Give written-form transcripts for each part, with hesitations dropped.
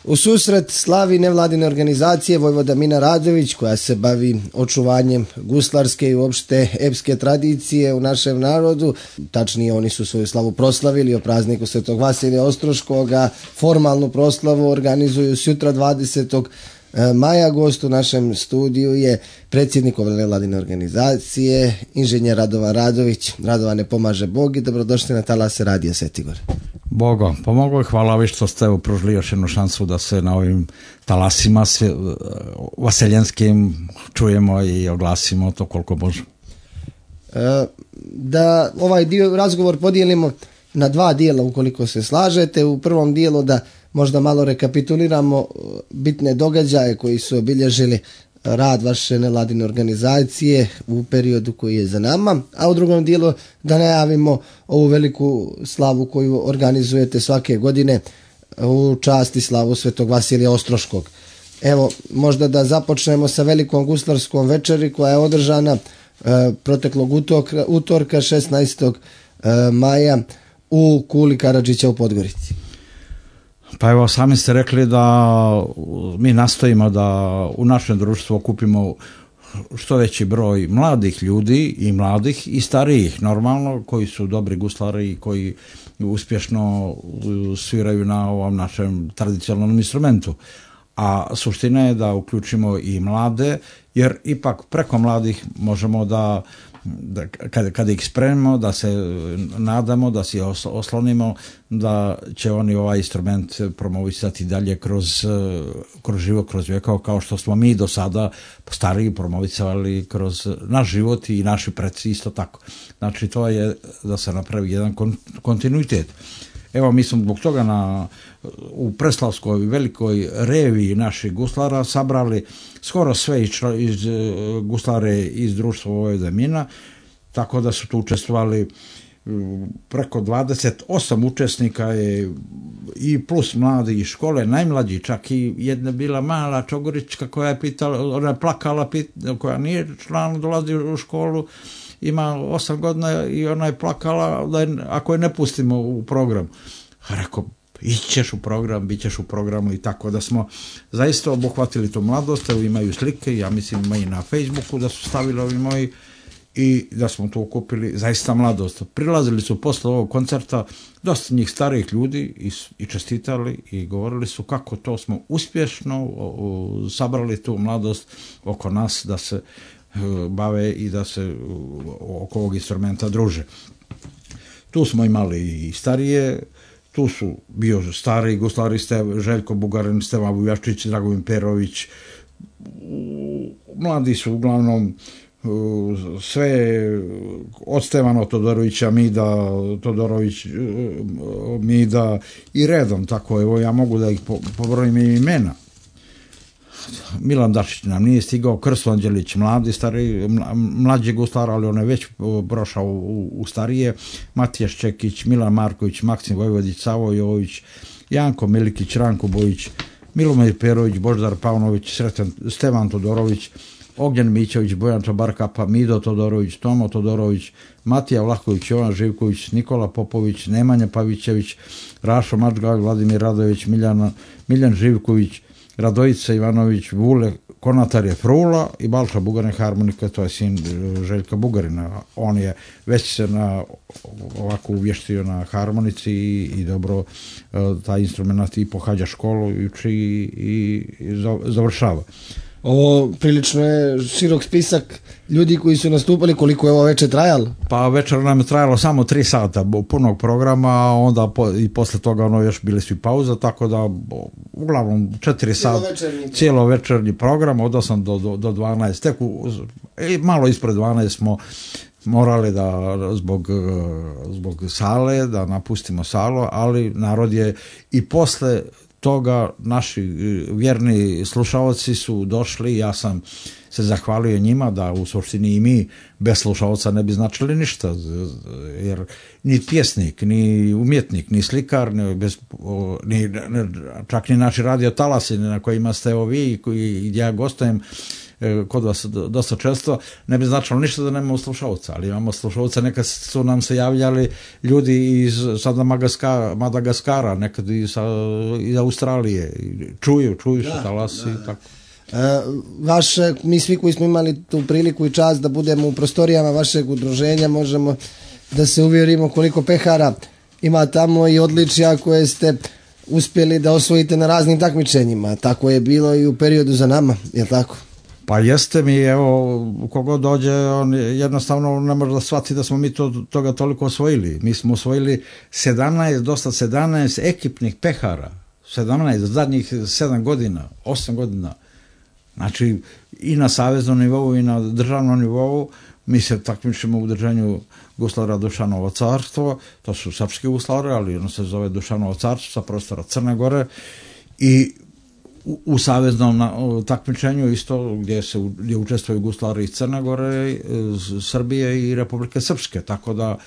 U susret slavi nevladine organizacije Vojvoda Mina Radović koja se bavi očuvanjem guslarske i uopšte epske tradicije u našem narodu. Tačnije, oni su svoju slavu proslavili o prazniku Svetog Vasilija Ostroškoga. Formalnu proslavu organizuju sutra 20. maja. Gost u našem studiju je predsjednik ove nevladine organizacije, inženjer Radovan Radović. Radovane, pomaže Bog i dobrodošli na talase Radija Svetigor. Bogo, pomoglo i hvala vi što ste pružili još jednu šansu da se na ovim talasima vaseljenskim čujemo i oglasimo to koliko možemo. Da ovaj razgovor podijelimo na dva dijela ukoliko se slažete. U prvom dijelu da možda malo rekapituliramo bitne događaje koji su obilježili rad vaše nevladine organizacije u periodu koji je za nama, a u drugom dijelu da najavimo ovu veliku slavu koju organizujete svake godine u čast i slavu Svetog Vasilija Ostroškog. Evo, možda da započnemo sa velikom guslarskom večeri koja je održana proteklog utorka 16. maja u Kuli Karadžića u Podgorici. Pa evo, sami ste rekli da mi nastojimo da u našem društvu okupimo što veći broj mladih ljudi i mladih i starijih normalno koji su dobri guslari i koji uspješno sviraju na ovom našem tradicionalnom instrumentu. A suština je da uključimo i mlade jer ipak preko mladih možemo da kada ih spremimo, da se nadamo, da se oslonimo, da će oni ovaj instrument promovisati dalje kroz život, kroz vjekova, kao što smo mi do sada stariji promovisali kroz naš život i naši preci isto tako. Znači to je da se napravi jedan kontinuitet. Evo, mi smo zbog toga u Preslavskoj velikoj reviji naših guslara sabrali skoro sve iz guslare iz društva Vojvoda Mina, tako da su tu učestvovali preko 28 učesnika je i plus mladi iz škole, najmlađi, čak i jedna bila mala Čogorička koja je pitala, ona je plakala, koja nije član, dolazi u školu, ima 8 godina i ona je plakala da ako je ne pustimo u program. Rekao, ićeš u program, bit ćeš u programu i tako da smo zaista obuhvatili tu mladost. Evo, imaju slike, ja mislim ima i na Facebooku da su stavili ovi moji i da smo tu okupili zaista mladost. Prilazili su posle ovog koncerta dosta njih starijih ljudi i čestitali i govorili su kako to smo uspješno sabrali tu mladost oko nas da se bave i da se oko ovog instrumenta druže. Tu smo imali i starije, tu su bio stari guslari Željko Bugarin, Stevan Vujačić, Dragovin Perović. Mladi su uglavnom sve od Stevana Todorovića, Todorović, Mida i redom, tako evo ja mogu da ih pobrojim imena. Milan Dašić nam nije stigao, Krsto Anđelić, mlađi guslar, ali on je već prošao u starije, Matija Ščekić, Milan Marković, Maksim Vojvodić, Savo Jović, Janko Milikić, Ranko Bojić, Milomir Perović, Boždar Pavnović, Stevan Todorović, Ognjen Mićević, Bojan Čabarkapa, Mido Todorović, Tomo Todorović, Matija Vlahović, Jovan Živković, Nikola Popović, Nemanja Pavićević, Rašo Mačgalj, Vladimir Radović, Miljan Živković, Radojica Ivanović, Vule Konatar je frula i Balša Bugarin harmonika, to je sin Željka Bugarina. On je već se ovako uvještio na harmonici i dobro taj instrument i pohađa školu i uči i završava. Ovo prilično je širok spisak ljudi koji su nastupali. Koliko je ovo večer trajalo? Pa večer nam je trajalo samo 3 sata punog programa, a onda i posle toga još bili su i pauza, tako da uglavnom 4 sata cijelovečernji program od 8 do 12. Tek malo ispred 12 smo morali da zbog sale da napustimo salu, ali narod je i posle toga naši vjerni slušaoci su došli, ja sam se zahvalio njima da u suštini i mi bez slušaoca ne bi značili ništa, jer ni pjesnik, ni umjetnik, ni slikar, čak ni naši radio talasi na kojima ste vi i gdje ja gostujem, kod vas dosta često, ne bi značilo ništa da nemamo slušalca, ali imamo slušalca, nekad su nam se javljali ljudi iz sada Madagaskara, nekad iz Australije, čuju što talasi i tako. Mi svi koji smo imali tu priliku i čast da budemo u prostorijama vašeg udruženja, možemo da se uvjerimo koliko pehara ima tamo i odličja koje ste uspjeli da osvojite na raznim takmičenjima. Tako je bilo i u periodu za nama, je li tako? Pa jeste mi, evo, kogod dođe, on jednostavno ne može da shvati da smo mi toga toliko osvojili. Mi smo osvojili 17 ekipnih pehara, 17 zadnjih 7 godina, 8 godina. Znači, i na saveznom nivou i na državnom nivou mi se takmičimo u udruženju Guslara Dušanovo carstvo, to su srpski guslari, ali ono se zove Dušanovo carstvo sa prostora Crne Gore, i u saveznom takmičenju isto gdje učestvuju guslari iz Crne Gore, Srbije i Republike Srpske, tako da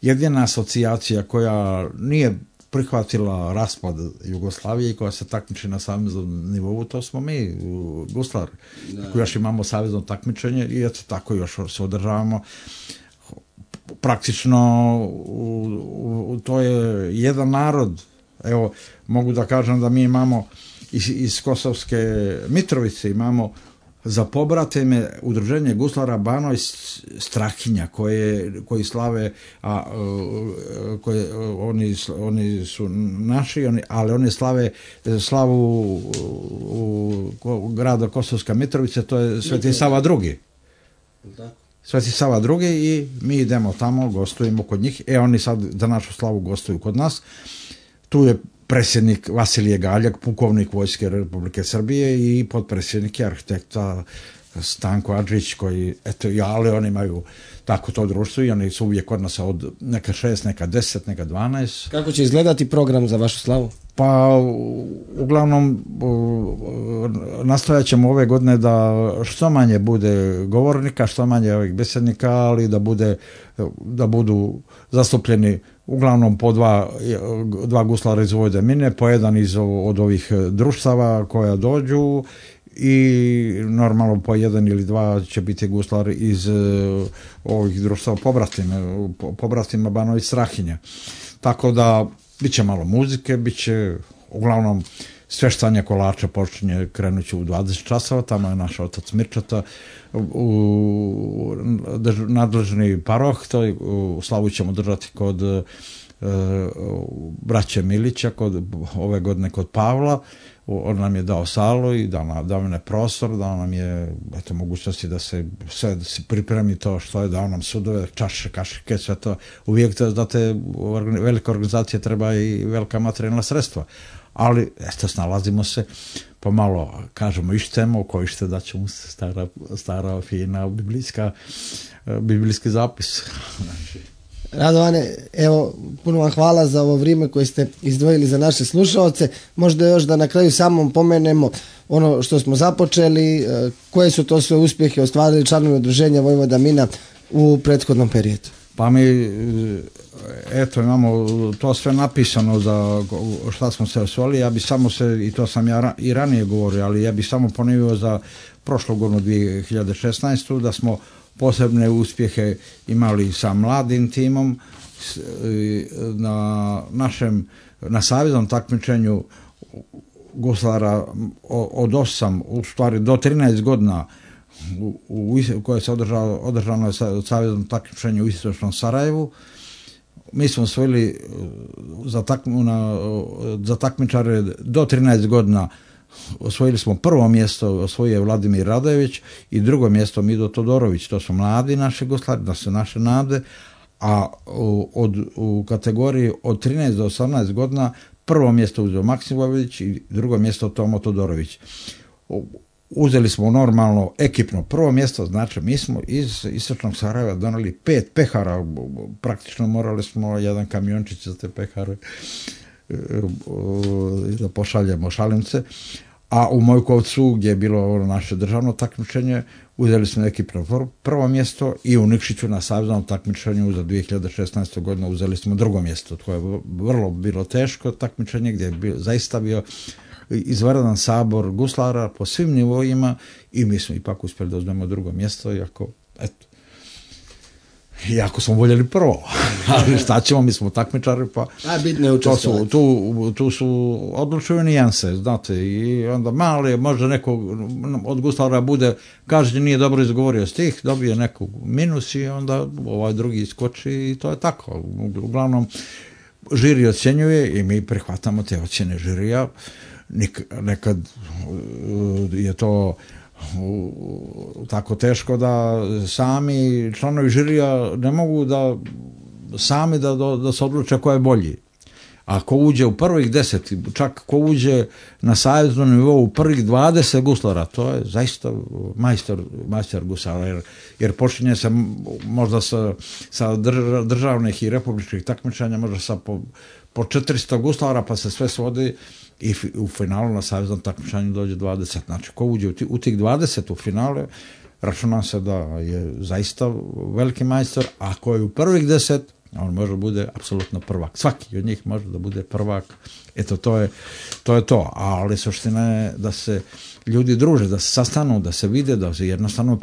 jedina asocijacija koja nije prihvatila raspad Jugoslavije i koja se takmiči na saveznom nivou, to smo mi, guslari, koji još imamo savezno takmičenje i eto tako još se održavamo. Praktično to je jedan narod. Evo, mogu da kažem da mi imamo iz Kosovske Mitrovice imamo za pobratime udruženje guslara Bano iz Strahinja koji slave, oni su naši, ali oni slave slavu grada Kosovska Mitrovica, to je Sveti Sava II. Sveti Sava II i mi idemo tamo, gostujemo kod njih. Oni sad za našu slavu gostuju kod nas. Tu je predsjednik Vasilije Galjak, pukovnik Vojske Republike Srbije, i potpredsjednik je arhitekta Stanko Adžić, koji, ali oni imaju tako to društvo i oni su uvijek kod nas od neka 6, neka 10, neka 12. Kako će izgledati program za vašu slavu? Pa, uglavnom, nastojat ćemo ove godine da što manje bude govornika, što manje ovih besednika, ali da budu zastupljeni uglavnom po dva guslara iz Vojvodine, po jedan od ovih društava koja dođu i normalno po jedan ili dva će biti guslari iz ovih društava pobratima Banović Strahinja. Tako da bit će malo muzike, bit će uglavnom sveštanje kolača krenuće u 20 časova, tamo je naš otac Mirčata, nadležni paroh, u slavu ćemo držati kod braće Milića, ove godine kod Pavla. On nam je dao salu i dao nam je prostor, dao nam je mogućnosti da se pripremi to što je, dao nam sudove, čaše, kašike, sve to. Uvijek za te velike organizacije treba i velika materijalna sredstva. Ali, snalazimo se, pomalo kažemo ištemo, ko ište da će mu se stara fina biblijski zapis. Radovane, evo, puno vam hvala za ovo vrijeme koje ste izdvojili za naše slušalce. Možda još da na kraju samom pomenemo ono što smo započeli, koje su to sve uspjehe ostvarili članovi udruženja Vojvoda Mina u prethodnom periodu. Pa mi, imamo to sve napisano za šta smo se osvojili. Ja bi samo i to sam ja i ranije govorio, ali ja bi samo ponovio za prošlu godinu 2016. da smo posebne uspjehe imali sa mladim timom na saveznom takmičenju guslara od 8, u stvari do 13 godina koje se održano je saveznom takmičenju u Istočnom Sarajevu. Mi smo osvojili za takmičare do 13 godina. Osvojili smo prvo mjesto, osvojio je Vladimir Radojević, i drugo mjesto Mido Todorović. To su mladi naši guslari, da su naše nade, a u kategoriji od 13 do 18 godina prvo mjesto uzeo Maksim Vojvodić i drugo mjesto Tomo Todorović. Uzeli smo normalno ekipno prvo mjesto, znači mi smo iz Istočnog Sarajeva doneli 5 pehara, praktično morali smo jedan kamiončić za te pehare da pošaljemo šalimce, a u Mojkovcu gdje je bilo naše državno takmičenje uzeli smo ekipno prvo mjesto i u Nikšiću na saveznom takmičenju za 2016. godinu uzeli smo drugo mjesto. To je vrlo bilo teško takmičenje gdje je zaista bio izvanredan sabor guslara po svim nivoima i mi smo ipak uspjeli da uzmemo drugo mjesto, iako smo voljeli prvo, ali šta ćemo, mi smo takmičari, pa tu su odlučuju nijanse, znate, i onda mali, možda neko od guslara bude, kaže nije dobro izgovorio stih, dobije neku minus i onda ovaj drugi iskoči i to je tako. Uglavnom, žiri ocjenjuje i mi prihvatamo te ocjene žirija, nekad je to tako teško da sami članovi žirija ne mogu da sami da se odluče ko je bolji. A ko uđe u prvih 10, čak ko uđe na saveznom nivou u prvih 20 guslara, to je zaista majstor gusara, jer počinje se možda sa državnih i republičkih takmičenja, možda sa po 400 guslara, pa se sve svodi i u finalu na saveznom takmičenju dođe 20. Znači, ko uđe u tih 20 u finale, računam se da je zaista veliki majstor, a ko je u prvih 10, on može da bude apsolutno prvak. Svaki od njih može da bude prvak. Eto, to je to. Ali suština je da se ljudi druže, da se sastanu, da se vide, da se jednostavno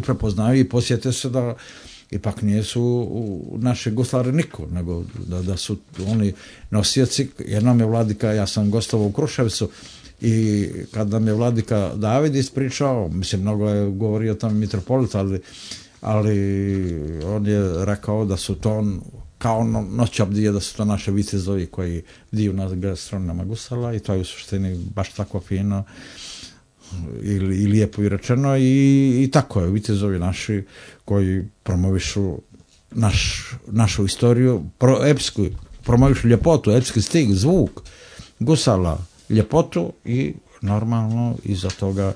prepoznaju i posjete se da ipak nisu naši guslari niko, nego da su oni nosioci. Jednom je vladika, ja sam gostovao u Kruševcu i kad nam je vladika David ispričao, mislim, mnogo je govorio o tom mitropolit, ali on je rekao da su to kao noć abdije, da su to naše vitezovi koji bdiju na gastronama gusala i to je u suštini baš tako fino i lijepo i rečeno i tako je, vitezovi naši koji promovišu našu istoriju, epsku, promovišu ljepotu, epski stig, zvuk gusala, ljepotu i normalno iza toga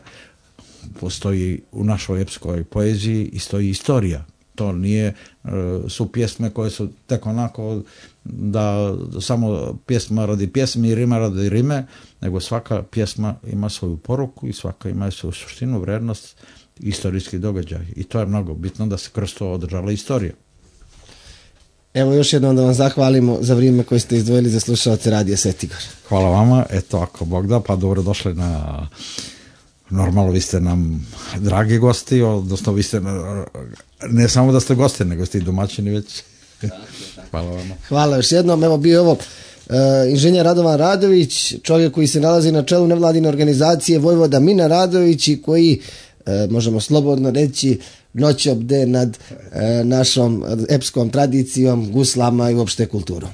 postoji u našoj epskoj poeziji i stoji istorija. To nije, su pjesme koje su tek onako da samo pjesma radi pjesme i rima radi rime, nego svaka pjesma ima svoju poruku i svaka ima svoju suštinu, vrednost, istorijski događaj. I to je mnogo bitno da se kroz to održala istorija. Evo još jednom da vam zahvalimo za vrijeme koje ste izdvojili za slušalce Radija Svetigor. Hvala vama, eto ako Bog da, pa dobro došli na... Normalno, vi ste nam dragi gosti, odnosno vi ste, ne samo da ste gosti, nego ste i domaćini već. Hvala vama. Hvala još jednom. Evo bio ovo inženjer Radovan Radović, čovjek koji se nalazi na čelu nevladine organizacije Vojvoda Mina Radović i koji, možemo slobodno reći, noć obde nad našom epskom tradicijom, guslama i uopšte kulturom.